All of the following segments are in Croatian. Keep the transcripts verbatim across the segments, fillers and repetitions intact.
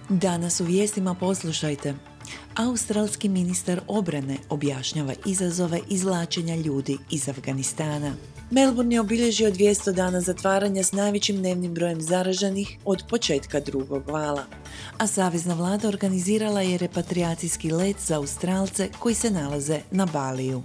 Danas u vijestima poslušajte. Australski ministar obrane objašnjava izazove izvlačenja ljudi iz Afganistana. Melbourne je obilježio dvjesto dana zatvaranja s najvećim dnevnim brojem zaraženih od početka drugog vala. A savezna vlada organizirala je repatrijacijski let za Australce koji se nalaze na Baliju.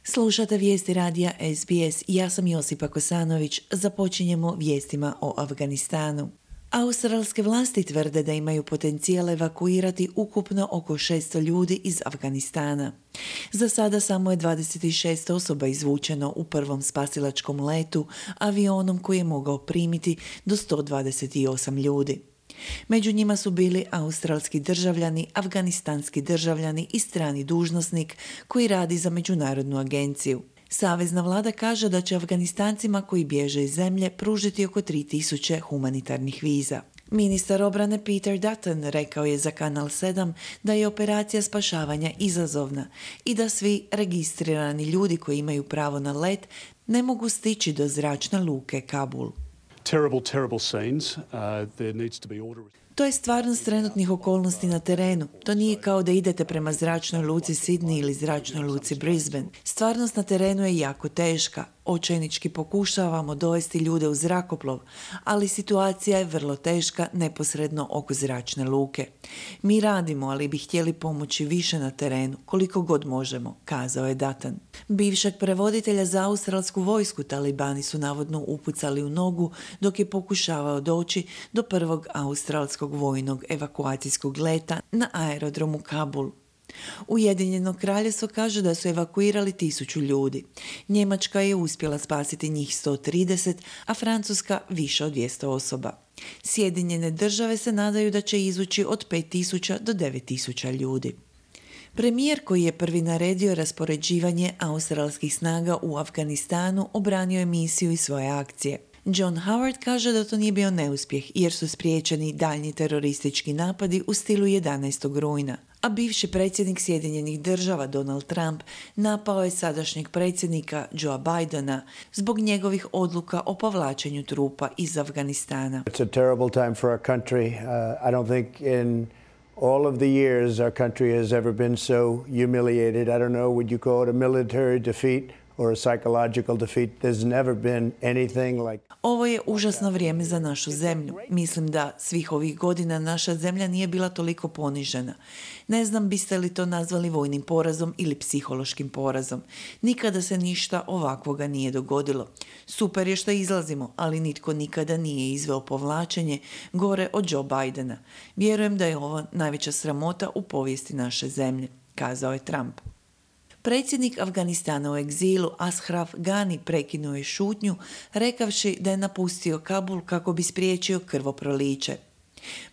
Slušate vijesti radija S B S. Ja sam Josipa Kosanović. Započinjemo vijestima o Afganistanu. Australske vlasti tvrde da imaju potencijal evakuirati ukupno oko šesto ljudi iz Afganistana. Za sada samo je dvadeset šest osoba izvučeno u prvom spasilačkom letu avionom koji je mogao primiti do sto dvadeset osam ljudi. Među njima su bili australski državljani, afganistanski državljani i strani dužnosnik koji radi za međunarodnu agenciju. Savezna vlada kaže da će Afganistancima koji bježe iz zemlje pružiti oko tri tisuće humanitarnih viza. Ministar obrane Peter Dutton rekao je za Kanal sedam da je operacija spašavanja izazovna i da svi registrirani ljudi koji imaju pravo na let ne mogu stići do zračne luke Kabul. Terrible, terrible scenes. Uh, there needs to be order. To je stvarnost trenutnih okolnosti na terenu. To nije kao da idete prema zračnoj luci Sydney ili zračnoj luci Brisbane. Stvarnost na terenu je jako teška. Očajnički pokušavamo dovesti ljude u zrakoplov, ali situacija je vrlo teška neposredno oko zračne luke. Mi radimo, ali bi htjeli pomoći više na terenu, koliko god možemo, kazao je Dutton. Bivšeg prevoditelja za australsku vojsku talibani su navodno upucali u nogu dok je pokušavao doći do prvog australskog vojnog evakuacijskog leta na aerodromu Kabul. Ujedinjeno kraljevstvo kaže da su evakuirali tisuću ljudi. Njemačka je uspjela spasiti njih sto trideset, a Francuska više od dvjesto osoba. Sjedinjene države se nadaju da će izvući od pet tisuća do devet tisuća ljudi. Premijer koji je prvi naredio raspoređivanje australskih snaga u Afganistanu obranio je misiju i svoje akcije. John Howard kaže da to nije bio neuspjeh jer su spriječeni daljnji teroristički napadi u stilu jedanaestog rujna. A bivši predsjednik Sjedinjenih država Donald Trump napao je sadašnjeg predsjednika Joea Bidena zbog njegovih odluka o povlačenju trupa iz Afganistana. It's a terrible time for our country. Uh, I don't think in all of the years our country has ever been so humiliated. I don't know, would you call it a military defeat or a psychological defeat? There's never been anything like... Ovo je užasno vrijeme za našu zemlju. Mislim da svih ovih godina naša zemlja nije bila toliko ponižena. Ne znam biste li to nazvali vojnim porazom ili psihološkim porazom. Nikada se ništa ovakvoga nije dogodilo. Super je što izlazimo, ali nitko nikada nije izveo povlačenje gore od Joe Bidena. Vjerujem da je ovo najveća sramota u povijesti naše zemlje, kazao je Trump. Predsjednik Afganistana u egzilu Ashraf Ghani prekinuo je šutnju, rekavši da je napustio Kabul kako bi spriječio krvoproliće.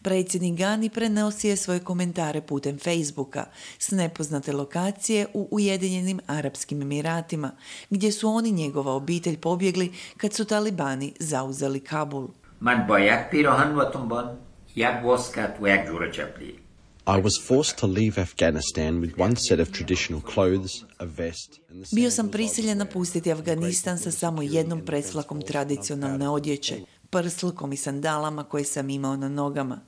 Predsjednik Ghani prenosio je svoje komentare putem Facebooka s nepoznate lokacije u Ujedinjenim Arapskim Emiratima, gdje su oni njegova obitelj pobjegli kad su talibani zauzeli Kabul. Man bayad pirahan va tumban yak waskat wa yak jura chapli. I was forced to leave Afghanistan with one set of traditional clothes, a vest, and the Bio sam prisiljen napustiti Afganistan sa samo jednom presvlakom tradicionalne odjeće, prslkom i sandalama koje sam imao na nogama.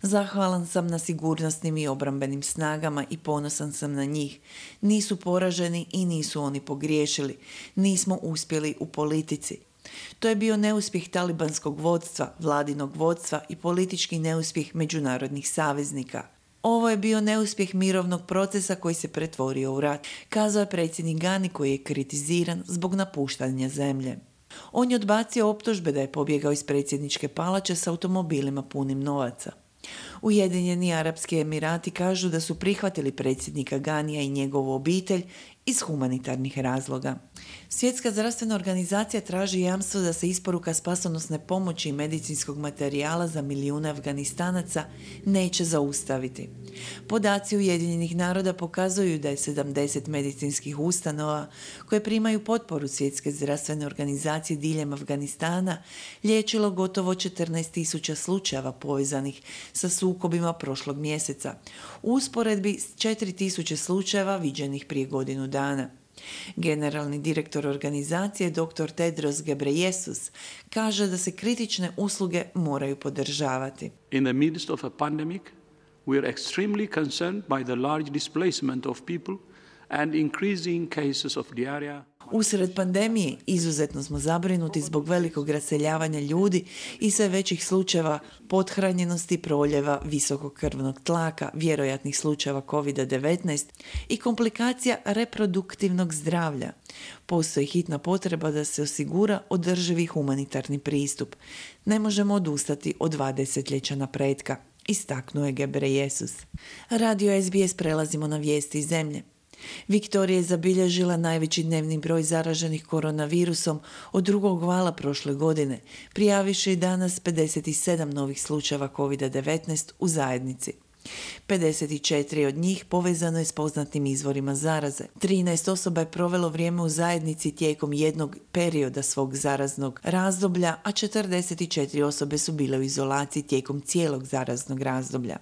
Zahvalan sam na sigurnosnim i obrambenim snagama i ponosan sam na njih. Nisu poraženi i nisu oni pogriješili. Nismo uspjeli u politici. To je bio neuspjeh talibanskog vodstva, vladinog vodstva i politički neuspjeh međunarodnih saveznika. Ovo je bio neuspjeh mirovnog procesa koji se pretvorio u rat, kazao je predsjednik Ghani koji je kritiziran zbog napuštanja zemlje. On je odbacio optužbe da je pobjegao iz predsjedničke palače s automobilima punim novaca. Ujedinjeni Arapski Emirati kažu da su prihvatili predsjednika Ghanija i njegovu obitelj iz humanitarnih razloga. Svjetska zdravstvena organizacija traži jamstvo da se isporuka spasonosne pomoći i medicinskog materijala za milijune Afganistanaca neće zaustaviti. Podaci Ujedinjenih naroda pokazuju da je sedamdeset medicinskih ustanova koje primaju potporu Svjetske zdravstvene organizacije diljem Afganistana liječilo gotovo četrnaest tisuća slučajeva povezanih sa sukobima prošlog mjeseca, u usporedbi s četiri tisuće slučajeva viđenih prije godinu dana. Generalni direktor organizacije dr Tedros Ghebreyesus kaže da se kritične usluge moraju podržavati. In the midst of a pandemic, we are extremely concerned by the large displacement of people and increasing cases of diarrhea. Usred pandemije izuzetno smo zabrinuti zbog velikog raseljavanja ljudi i sve većih slučajeva pothranjenosti, proljeva, visokog krvnog tlaka, vjerojatnih slučajeva kovid devetnaest i komplikacija reproduktivnog zdravlja. Postoji hitna potreba da se osigura održivi humanitarni pristup. Ne možemo odustati od dva desetljeća napretka, istaknuo je Ghebreyesus. Radio es be es prelazimo na vijesti iz zemlje. Viktorija je zabilježila najveći dnevni broj zaraženih koronavirusom od drugog vala prošle godine, prijavivši danas pedeset sedam novih slučajeva kovid devetnaest u zajednici. pedeset četiri od njih povezano je s poznatim izvorima zaraze. trinaest osoba je provelo vrijeme u zajednici tijekom jednog perioda svog zaraznog razdoblja, a četrdeset četiri osobe su bile u izolaciji tijekom cijelog zaraznog razdoblja.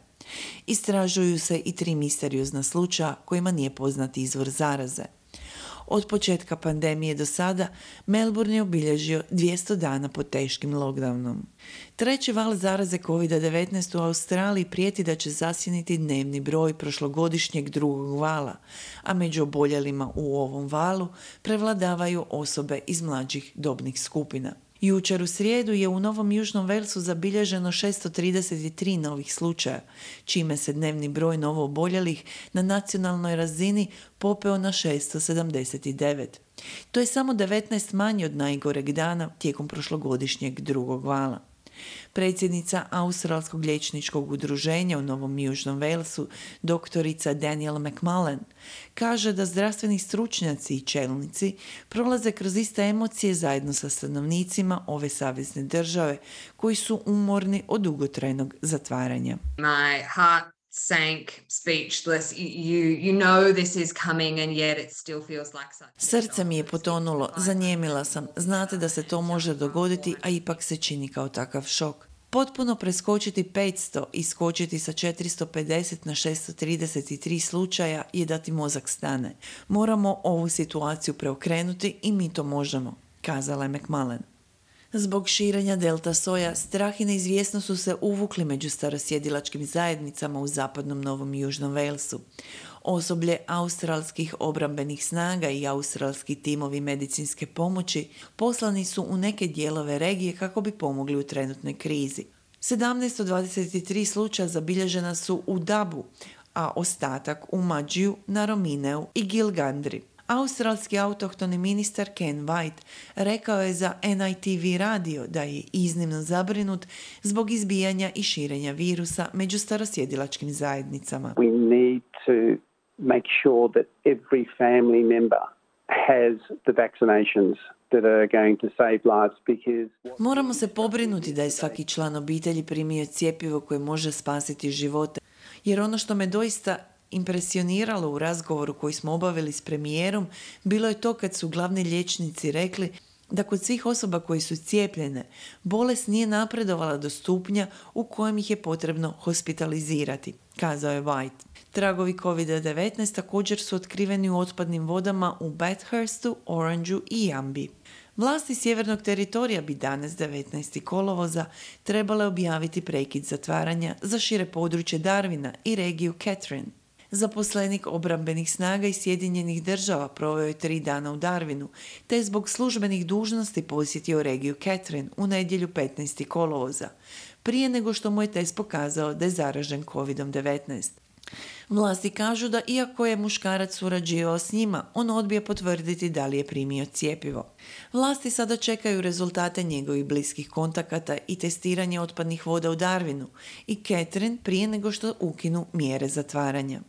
Istražuju se i tri misteriozna slučaja kojima nije poznat izvor zaraze. Od početka pandemije do sada Melbourne je obilježio dvjesto dana pod teškim lockdownom. Treći val zaraze kovid devetnaest u Australiji prijeti da će zasjeniti dnevni broj prošlogodišnjeg drugog vala, a među oboljelima u ovom valu prevladavaju osobe iz mlađih dobnih skupina. Jučer u srijedu je u Novom Južnom Walesu zabilježeno šesto trideset tri novih slučaja, čime se dnevni broj novo oboljelih na nacionalnoj razini popeo na šesto sedamdeset devet. To je samo devetnaest manje od najgoreg dana tijekom prošlogodišnjeg drugog vala. Predsjednica Australskog liječničkog udruženja u Novom Južnom Walesu, doktorica Danielle McMullen, kaže da zdravstveni stručnjaci i čelnici prolaze kroz iste emocije zajedno sa stanovnicima ove savezne države koji su umorni od dugotrajnog zatvaranja. My heart sank, speechless. You, you know this is coming and yet it still feels like such. Srce mi je potonulo, zanijemila sam. Znate da se to može dogoditi, a ipak se čini kao takav šok. Potpuno preskočiti petsto i skočiti sa četiristo pedeset na šesto trideset tri slučaja je da ti mozak stane. Moramo ovu situaciju preokrenuti i mi to možemo, kazala je McMullen. Zbog širenja delta soja, strah i neizvjesnost su se uvukli među starosjedilačkim zajednicama u zapadnom Novom i Južnom Walesu. Osoblje australskih obrambenih snaga i australski timovi medicinske pomoći poslani su u neke dijelove regije kako bi pomogli u trenutnoj krizi. sedamnaest od dvadeset tri slučaja zabilježena su u Dabu, a ostatak u Mađiju, Naromineu i Gilgandri. Australski autohtoni ministar Ken White rekao je za en i te ve radio da je iznimno zabrinut zbog izbijanja i širenja virusa među starosjedilačkim zajednicama. We need to make sure that every family member has the vaccinations that are going to save lives because... Moramo se pobrinuti da je svaki član obitelji primio cjepivo koje može spasiti živote, jer ono što me doista impresioniralo u razgovoru koji smo obavili s premijerom bilo je to kad su glavni liječnici rekli da kod svih osoba koji su cijepljene bolest nije napredovala do stupnja u kojem ih je potrebno hospitalizirati, kazao je White. Tragovi kovid devetnaest također su otkriveni u otpadnim vodama u Bathurstu, Orangeu i Jambi. Vlasti sjevernog teritorija bi danas devetnaestog kolovoza trebale objaviti prekid zatvaranja za šire područje Darwina i regiju Catherine. Zaposlenik obrambenih snaga iz Sjedinjenih država proveo je tri dana u Darwinu, te je zbog službenih dužnosti posjetio regiju Catherine u nedjelju petnaestog kolovoza, prije nego što mu je test pokazao da je zaražen kovid devetnaest. Vlasti kažu da iako je muškarac surađivao s njima, on odbija potvrditi da li je primio cjepivo. Vlasti sada čekaju rezultate njegovih bliskih kontakata i testiranje otpadnih voda u Darwinu i Catherine prije nego što ukinu mjere zatvaranja.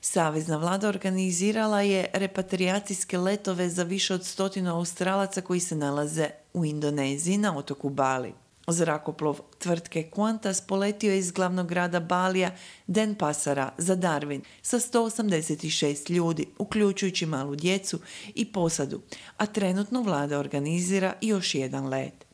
Savezna vlada organizirala je repatrijacijske letove za više od stotinu Australaca koji se nalaze u Indoneziji na otoku Bali. Zrakoplov tvrtke Qantas poletio je iz glavnog grada Balija Denpasara za Darwin sa sto osamdeset šest ljudi, uključujući malu djecu i posadu, a trenutno vlada organizira još jedan let.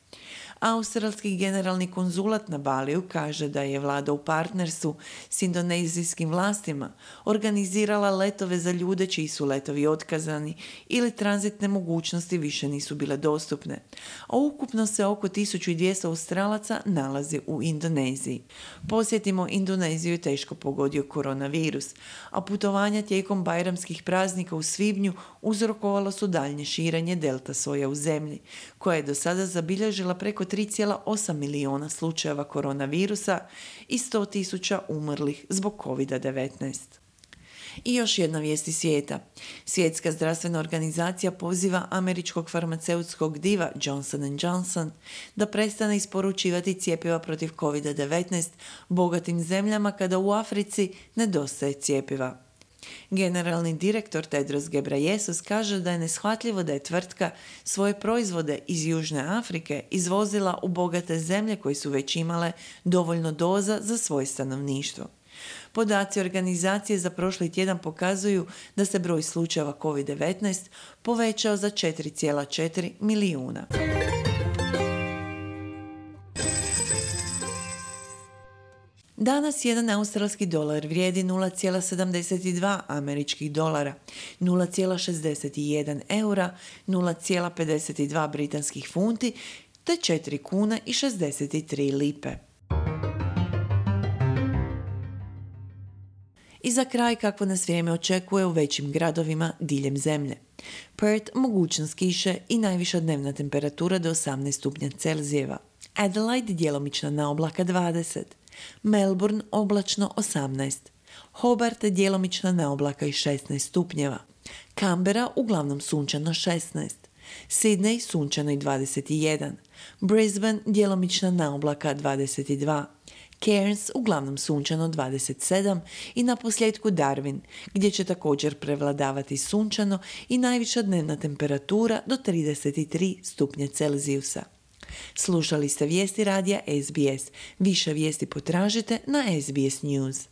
Australski generalni konzulat na Baliju kaže da je vlada u partnerstvu s indonezijskim vlastima organizirala letove za ljude čiji su letovi otkazani ili tranzitne mogućnosti više nisu bile dostupne, a ukupno se oko tisuću dvjesto Australaca nalazi u Indoneziji. Posjetimo, Indoneziju je teško pogodio koronavirus, a putovanja tijekom bajramskih praznika u svibnju uzrokovalo su daljnje širenje delta soja u zemlji, koja je do sada zabilježila preko tri zarez osam milijuna slučajeva koronavirusa i sto tisuća umrlih zbog kovid devetnaest. I još jedna vijest iz svijeta. Svjetska zdravstvena organizacija poziva američkog farmaceutskog diva Johnson and Johnson da prestane isporučivati cjepiva protiv kovid devetnaest bogatim zemljama kada u Africi nedostaje cjepiva. Generalni direktor Tedros Ghebreyesus kaže da je neshvatljivo da je tvrtka svoje proizvode iz Južne Afrike izvozila u bogate zemlje koje su već imale dovoljno doza za svoje stanovništvo. Podaci organizacije za prošli tjedan pokazuju da se broj slučajeva kovid devetnaest povećao za četiri zarez četiri milijuna. Danas jedan australski dolar vrijedi nula zarez sedamdeset dva američkih dolara, nula zarez šezdeset jedan eura, nula zarez pedeset dva britanskih funti te četiri kune i šezdeset tri lipe. I za kraj kakvo nas vrijeme očekuje u većim gradovima diljem zemlje. Perth mogućnost kiše i najviša dnevna temperatura do osamnaest stupnja Celzijeva. Adelaide djelomična naoblaka dvadeset. Melbourne oblačno osamnaest. Hobart djelomična naoblaka i šesnaest stupnjeva. Canberra uglavnom sunčano šesnaest. Sydney sunčano i dvadeset jedan. Brisbane djelomična naoblaka dvadeset dva. Cairns uglavnom sunčano dvadeset sedam i na posljedku Darwin, gdje će također prevladavati sunčano i najviša dnevna temperatura do trideset tri stupnja Celzijusa. Slušali ste vijesti radija S B S. Više vijesti potražite na S B S News.